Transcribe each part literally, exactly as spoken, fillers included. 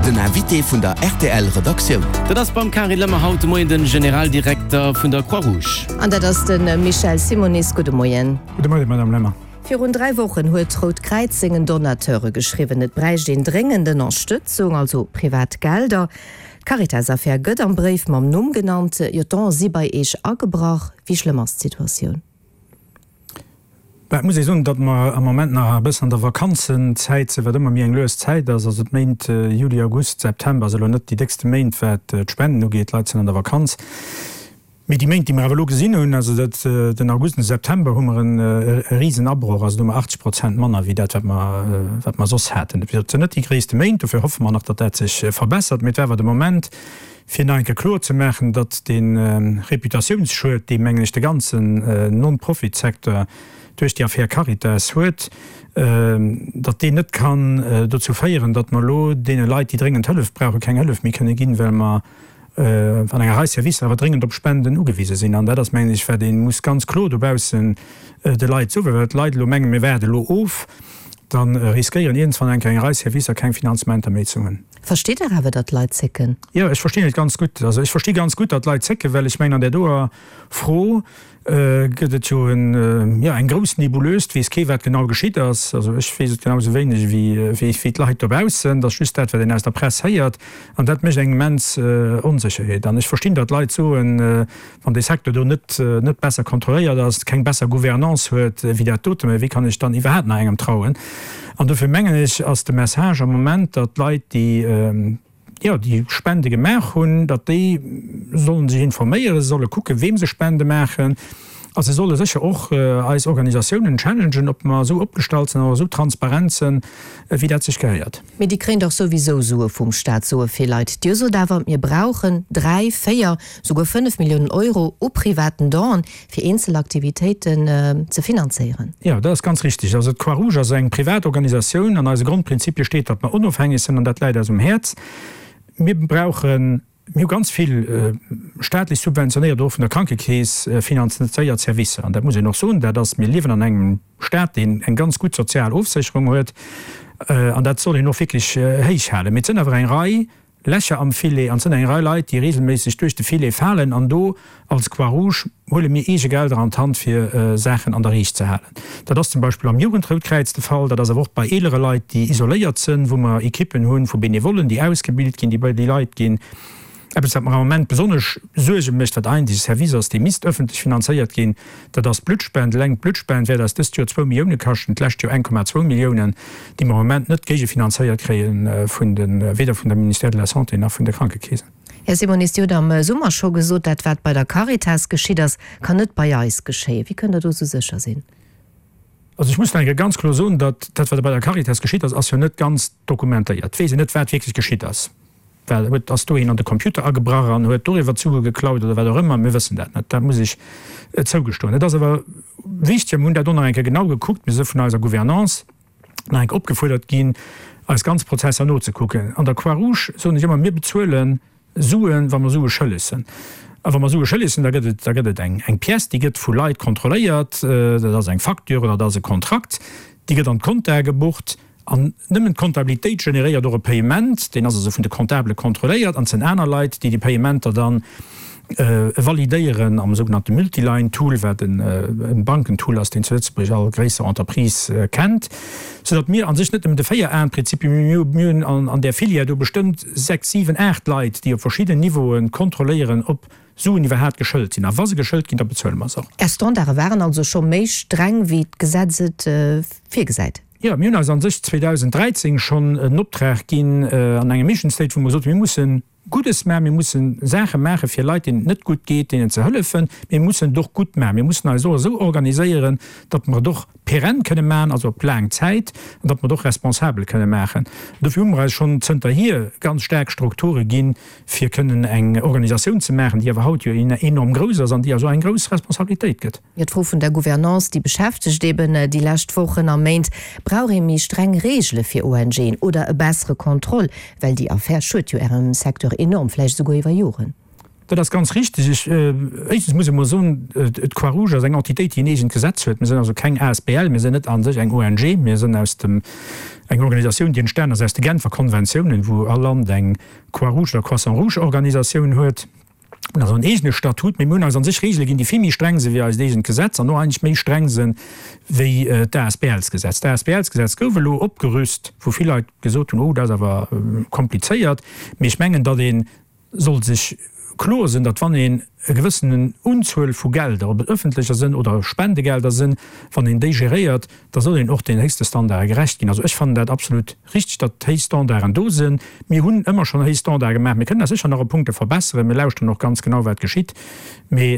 Den Invité vun der R T L Redaktioun. Dat ass beim Carine Lemmer haut de Moien den Generaldirekter vun der Croix-Rouge. An dat ass de Michel Simonis. Gudde Moien. Gudde Moien, Madame Lemmer. Virun dräi Wochen huet d'Rout Kräiz sengen Donateure geschriwwen, et bräicht een dréngend Ënnerstëtzung, also privat Gelder. D'Caritas-Affär gëtt am Bréif mam Numm genannt. Jo, d'Done si bei Iech agebrach. Wéi schlëmm ass d'Situatioun? Bah, et muss ee soen, datt mer am Moment nach e bëssen an der Vakanzenzäit sinn, wat ëmmer méi eng lues Zäit ass. Also d'Méint Juli, August, September si elo net déi déckste Méint, wat d'Spenden ugeet. D'Leit sinn an der Vakanz. Mee déi Méint, déi mer awer elo gesinn hunn, also dat, den August an de September, hu mer e Risenabroch, also do hu mer achtzeg Prozent manner wéi dat, wat mer, wat mer soss haten. Et sinn net déi gréisste Méint, dofir hoffe mer nach, datt dat sech verbessert. Mee et war awer de Moment, fir nach eng Kéier kloer ze maachen, datt dee Reputatiounsschued, dee, mengen ech, de ganzen Non-Profit-Secteur duerch déi Affär Caritas huet, datt deen net kann dozou féieren, datt mer elo deene Leit, déi dréngend Hëllef brauchen, keng Hëllef méi kënne ginn, well mer an enger Rei Servicer awer dréngend op Spenden ugewise sinn. An dat ass, mengen ech, wat ee muss ganz kloer dobaussen de Leit soen, well d'Leit elo mengen, mir waarde elo of, da riskéieren iergendwann eng Kéier eng Rei Servicer keng Finanzementer méi ze hunn. Versteet Der awer, datt d'Leit zécken? Jo, ech verstinn et ganz gutt. Also ech versti ganz gutt, datt d'Leit zécken, well ech mengen, an där doer Fro gëtt et jo en, jo, eng grouss Nébuleuse. Et weess kee wat genau geschitt ass. Also ech weess et genau esou wéineg wéi, wéi d'Leit dobaussen. Et ass just dat, wat een aus der Press héiert. An dat mécht eng immens Onsécherheet. An ech verstinn, datt d'Leit soen, wann dee Secteur do net, net besser kontrolléiert ass, keng besser Gouvernance huet wéi dat dote, mä wéi kann ech dann iwwerhaapt nach engem trauen? An dofir mengen ech, ass de Message am Moment, datt d'Leit, déi, jo, déi Spende gemaach hunn, datt déi solle sech informéieren, se solle kucken, weem se Spende maachen, a se solle sécher och eis Organisatiounen challengen, ob mer esou opgestallt sinn an esou transparent sinn, wéi dat sech gehéiert. Mee déi kréien dach souwisou Sue vum Staat, soe vill Leit. Dir sot awer, mir brauchen dräi, véier, souguer fënnef Milliounen Euro u privaten Donen, fir eenzel Aktivitéiten ze finanzéieren. Jo, dat ass ganz richtig. Also d'Croix-Rouge ass eng privat Organisatioun. An eise Grondprinzipie steet, datt mer onofhängeg sinn, an dat läit eis um Häerz. Mir brauchen, mir hu ganz vill staatlech subventionéiert oder och vun der Krankekeess finanzéiert Servicer. An dat muss een och soen, dat ass, mir liewen an engem Staat, deen eng ganz gutt sozial Ofsécherung huet, an dat soll een och wierklech héich halen. Mee et sinn awer eng Rei Lächer am Filet, an et sinn eng Rei Leit, déi regelméisseg duerch de Filet falen, an do als Croix-Rouge huele mir eege Gelder an d'Hand, fir Saachen an der Riicht ze halen. Dat ass zum Beispill am Jugendroutkräiz de Fall, dat ass awer och bei eelere Leit, déi isoléiert sënn, wou mer Ekippen hu vu Benevollen, déi ausgebilt ginn, déi bei déi Leit ginn. Eppes, wat mer am Moment besonnesch Suerge mécht, wat eigentlech e Service ass, dee misst ëffentlech finanzéiert ginn, dat ass d'Bluttspend. Eleng d'Bluttspend wäert eis dëst Joer zwou Millioune kaschten, d'lescht Joer eng Komma zwou Milliounen, déi mer am Moment net géigefinanzéiert kréie vun de, weder vun dem Ministère de la Santé nach vun de Krankekeesen. Här Simonis, Dir hutt am Summer scho gesot, dat wat bei der Caritas geschitt ass, kann net bei eis geschéien. Wéi kënnt Der do esou sécher sinn? Also ech muss nach eng Kéier ganz kloer soen, datt dat, wat bei der Caritas geschitt ass, ass jo net ganz dokumentéiert. Et weess een net, wat wierklech geschitt ass. Well huet, ass do een an de Computer agebrach an huet doriwwer d'Sue geklaut oder wat och ëmmer? Mir wëssen dat net, dat muss ech zougestoen. Et ass awer wichteg, mir hunn dat och nach eng Kéier genau gekuckt, mir si vun eiser Gouvernance nach eng Kéier opgefuerdert ginn, eis ganz Prozesser nozekucken. An der Croix-Rouge soen ech ëmmer, mir bezuele Suen, wa mer Sue schëlleg sinn. A wa mer Sue schëlleg sinn, da gëtt et, da gëtt et eng, eng Pièce, déi gëtt vu Leit kontrolléiert, dat ass eng Facture oder dat ass e Kontrakt, déi gëtt an d'Compta gebucht. An nëmmen d'Comptabilitéit generéiert och e Payement, deen ass also vun de Comptabele kontrolléiert, an et sinn aner Leit, déi déi Payementer dann validéieren am sougenannte Multiline-Tool, wat e Bankentool ass, deen zu Lëtzebuerg all gréisser Entreprise kennt, soudatt mir a sech net nëmmen de Véier-Aen-Prinzip hunn, mee mir hunn an där Filière do bestëmmt sechs, siwen, aacht Leit, déi op verschidden Niveaue kontrolléieren, ob Suen iwwerhaat geschëlt sinn. A wa se geschëlt ginn, da bezuele mer se och. Är Standarde waren also scho méi streng, wéi d'Gesetz et virgesäit? Jo, mir hunn eis a sech zweedausendräizéng schonn en Optrag ginn an engem Mission State, wou mer gesot hunn, mir mussen Guddes maachen, mir mussen Saache maache fir Leit, deenen et net gutt geet, deenen ze hëllefen, mee mir mussen et och gutt maachen. Mir mussen eis och esou organiséieren, datt mer et och pérenne kënne maachen, also op laang Zäit, an datt mer et och responsabel kënne maachen. Dofir hu mer eis schonn zënterhier ganz staark Strukture ginn, fir kënnen eng Organisatioun ze maachen, déi awer haut jo enorm grouss ass an déi eis och eng grouss Responsabilitéit gëtt. Jo, d'Fro vun der Gouvernance, déi beschäftegt eben déi lescht Wochen a Méint. Brauch ee méi streng Reegele fir O N Gen oder e bessere Contrôle? Well déi Affär schued jo Ärem Secteur enorm, vläicht esouguer iwwer Joren. Dat ass ganz richteg. Ech, éischtens muss ech emol soen, d'Croix-Rouge ass eng Entitéit, déi en eegent Gesetz huet. Mir sinn also keng asbl, mir sinn net a sech eng ONG, mir sinn aus dem, eng Organisatioun, déi entstanen ass aus de Genfer Konventiounen, wou all Land eng Croix-Rouge oder Croissant-Rouge-Organisatioun huet. Mir hunn also en eegene Statut, mee mir hunn eis a sech Reegele ginn, déi vill méi streng sinn wéi eist eegent Gesetz an och eigentlech méi streng sinn wéi d'ASBLs-Gesetz. D'ASBLs-Gesetz gouf elo opgerüst, wou vill Leit gesot hunn, oh, dat ass awer komplizéiert. Mee ech mengen, datt ee soll sech kloer sinn, datt wann een e gewëssenen Unzuel vu Gelder, ob et öffentlecher sinn oder Spendegelder sinn, wann een déi geréiert, da soll een och den héchste Standarde gerecht ginn. Also ech fannen dat absolut richteg, datt héich Standarden do sinn. Mir hunn ëmmer schonn héich Standarde gemaach. Mir kënnen eis sécher nach op Punkte verbesseren. Mir lauschteren och ganz genau, wat geschitt. Mee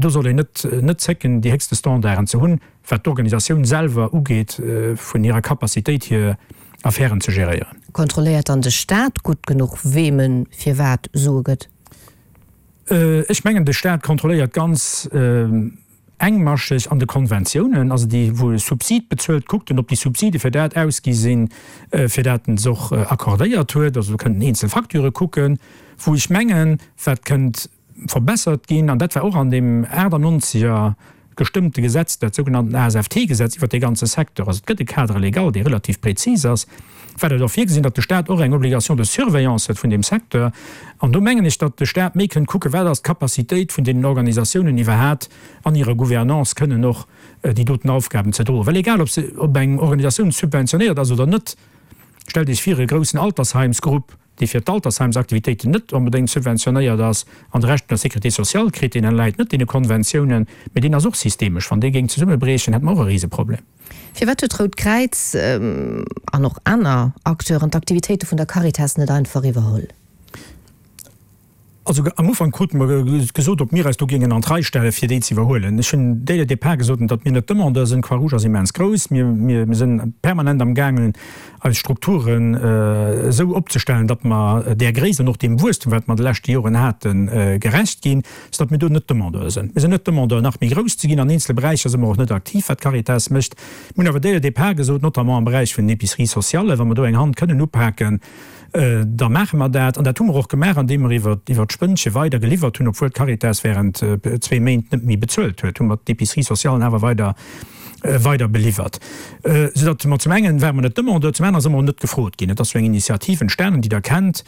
do soll een net net zécken, déi héchste Standarden ze hunn, wat d'Organisatioun selwer ugeet, vun hirer Capacitéit hier Affären ze geréieren. Kontrolléiert dann de Staat gutt genuch, weem e firwat Sue gëtt? Ech mengen, de Staat kontrolléiert ganz engmascheg an de Konventiounen, also déi, wou e Subsid bezuelt, kuckt en, ob déi Subside fir dat ausgi sinn, fir dat en se och accordéiert huet. Also do kënnt en eenzel Facturë kucken, wou ech mengen, wat kënnt verbessert ginn, an dat war och an deem achtannonzeger gestëmmte Gesetz, dat sougenannten ASFT-Gesetz iwwert dee ganze Secteur, also et gëtt e Cadre légal, dee relativ prezis ass, war dat och virgesinn, datt de Stat och eng Obligation de surveillance huet vun deem Secteur. An do mengen ech, datt de Stat méi kënnt kucken, wat ass d'Capacitéit vun deenen Organisatiounen iwwerhat an hirer Gouvernance kënnen och déi doten Aufgaben ze droen. Well egal, ob se, ob eng Organisatioun subventionéiert ass oder net, stellt Iech vir, e groussen Altersheimsgrupp, dee fir d'Altersheimsaktivitéiten net onbedéngt subventionéiert ass, an de Rescht vun der Sécurité sociale kritt, deen ënnerläit net deene Konventiounen, mee deen ass och systemesch. Wann dee géing zesummebriechen, hätte mer och e Riseproblem. Firwat huet d'Rout Kräiz an och aner Acteuren d'Aktivitéite vun der Caritas net einfach iwwerholl? Also am Ufank krute mer gesot, ob mir eis do géingen an d'Rei stellen, fir déi ze iwwerhuelen. Ech hunn dès le départ gesot, datt mir net Demandeur sinn. D'Croix-Rouge ass immens grouss. Mir, mir sinn permanent am gaangen, eis Strukturen esou opzestellen, datt mer där Gréisst an och deem Wuesstum, wat mer an de leschte Joren haten, gerecht ginn, soudatt mir do net Demandeur sinn. Mir sinn net Demandeur, nach méi grouss ze ginn. An eenzele Beräicher si mer och net aktiv, wat d'Caritas mécht. Mir hunn awer dès le départ gesot, notamment am Beräich vun den Épiceries sociales, wa mer do eng Hand kënnen upaken, da maache mer dat. An dat hu mer och gemaach, andeem mer iwwer d'Spënnche weider geliwwert hunn, obwuel d'Caritas während zwee Méint net méi bezuelt huet, hu mer d'Épicerie socialen awer weider weider beliwwert. Soudatt mer zum engen ware mer net Demandeur, zum anere si mer och net gefrot ginn. Et ass jo eng Initiativ entstanen, déi Der kennt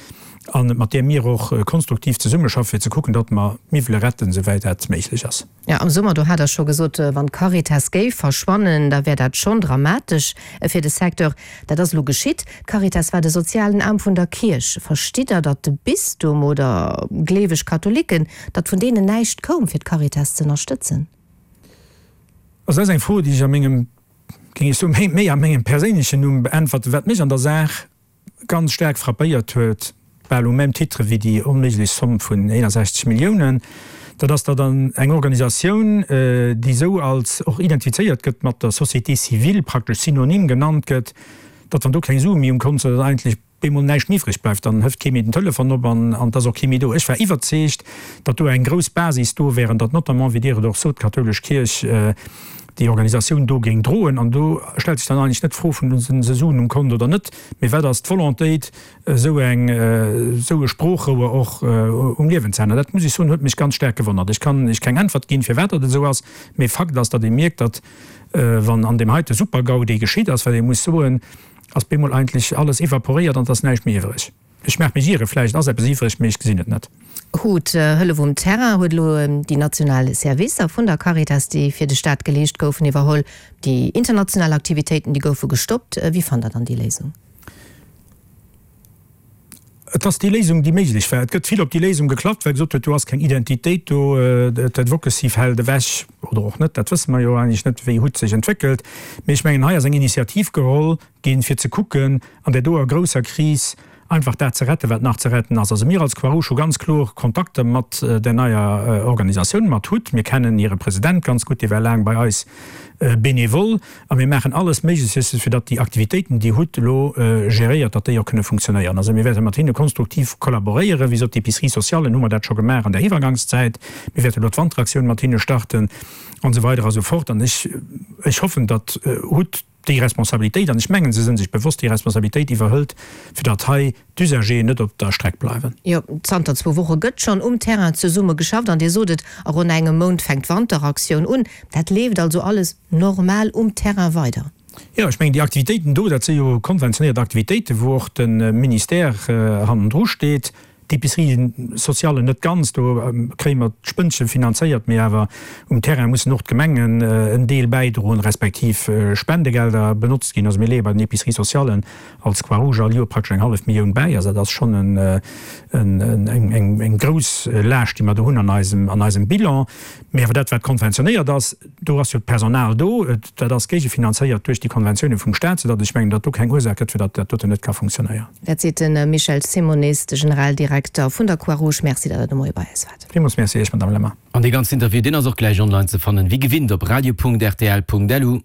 a mat där mir och konstruktiv zesummeschaffen, fir ze kucken, datt mer d'Miwwele retten, souwäit dat méiglech ass. Jo, am Summer, do hat Der scho gesot, wann d'Caritas géif verschwannen, da wär dat schonn dramatesch fir de Secteur. Dat ass elo geschitt. D'Caritas war de sozialen Aarm vun der Kierch. Verstitt Der, datt de Bistum oder gleeweg Katholiken, datt vun deenen näischt koum, fir d'Caritas z'ënnerstëtzen? Also dat ass eng Fro, déi ech a mengem, géing ech soen, méi a mengem perséinlechen Numm beäntwerten. Wat mech an der Saach ganz staark frappéiert huet, bal au même titre wéi déi onméiglech Somm vun eenundsechzeg Milliounen, dat ass, datt an eng Organisatioun, déi esou als och identifizéiert gëtt mat der Société civile, praktesch synonym genannt gëtt, datt wann do keng Sue méi um Kont sinn, datt eigentlech bemol näischt méi iwwreg bleift, dann hëft kee méi den Telefon op an et ass och kee méi do. Ech war iwwerzeegt, datt do eng grouss Basis do wär an datt notamment, wéi Dir et och sot, d'kathoulesch Kierch déi Organisatioun do géing droen. An do stellt sech dann eigentlech net d'Fro vun, Hunn se Suen um Kont oder net, mee wat ass d'Volontéit, esou eng, esou e Sproochrouer och um Liewen ze halen. An dat, muss ech soen, huet mech ganz staark gewonnert. Ech kann Iech keng Äntwert ginn, firwat dat esou ass, mee Fakt ass, datt ee mierkt, datt wann an deem heite Super-GAU, dee geschitt ass, well ee muss soen, ass bemol eigentlech alles evaporéiert an et ass näischt méi iwwreg. Ech maach mech ieren, vläicht ass eppes iwwreg, mee ech gesinn et net. Hut Hëllef um Terrain huet elo déi national Servicer vun der Caritas, déi fir de Staat geleescht goufen, iwwerholl. Déi international Aktivitéiten, déi goufe gestoppt. Wéi fannt Der dann déi Léisung? Et ass déi Léisung, déi méiglech war. Et gëtt vill op déi Léisung geklappt, well gesot huet, do ass keng Identitéit do, d'Advocacy fält ewech oder och net, dat wësse mer jo eigentlech net, wéi hut sech entwéckelt. Mee ech mengen, hei ass eng Initiativ geholl ginn, fir ze kucken, an där doer grousser Kris einfach dat ze retten, wat nach ze retten ass. Also mir als Croix-Rouge hu ganz kloer Kontakter mat där neier Organisatioun, mat hut. Mir kennen hire President ganz gutt, dee war laang bei eis bénévole a mir maachen alles Méiglechste fir datt déi Aktivitéiten, déi hut elo geréiert, datt déi och kënne funktionéieren. Also mir wäerte mat hinne konstruktiv kollaboréieren. Wéi gesot, d'Épicerie sociale hu mer dat scho gemaach an der Iwwergangszäit. Mir wäerte elo d'Wanteraktioun mat hinne starten an esou weider a sou fort. An ech, ech hoffen, datt hut déi Responsabilitéit, an ech mengen, se sinn sech bewosst, déi Responsabilitéit iwwerhëlt, fir datt hei d'Usageren net op der Streck bleiwen. Jo, zanter zwou Woche gëtt schonn um Terrain zesumme geschafft an Dir sot et, a ronn engem Mount fänkt d'Wanteraktioun un. Dat leeft also alles normal um Terrain weider? Jo, ech mengen, déi Aktivitéiten do, dat si jo konventionéiert Aktivitéiten, wou och de Ministère hannendru steet. D'Épicerie sociale net ganz, do kréie mer d'Spënnche finanzéiert, mee awer um Terrain mussen och d'Gemengen en Deel bäidroen, respektiv Spendegelder benotzt ginn. Also mir leeë bei den Épiceries socialen als Croix-Rouge all Joer praktesch eng hallef Millioun bäi. Also dat ass schonn eng grouss Laascht, déi mer do hunn an eisem Bilan. Mee awer dat, wat konventionéiert ass, do ass jo d'Personal do, dat ass géigefinanzéiert duerch déi Konventioune vum Staat, soudatt ech mengen, datt do keng Ursaach gëtt, fir datt dat doten net ka funktionéieren. Dat seet de Michel Simonis, de Generaldirekter vun der Croix-Rouge. Merci, datt Der de Moie bei eis waart. Villmools Merci Iech, Madamm Lemmer. An dee ganzen Interview, deen ass och gläich online ze fannen, wéi gewinnt op radio.rtl.lu.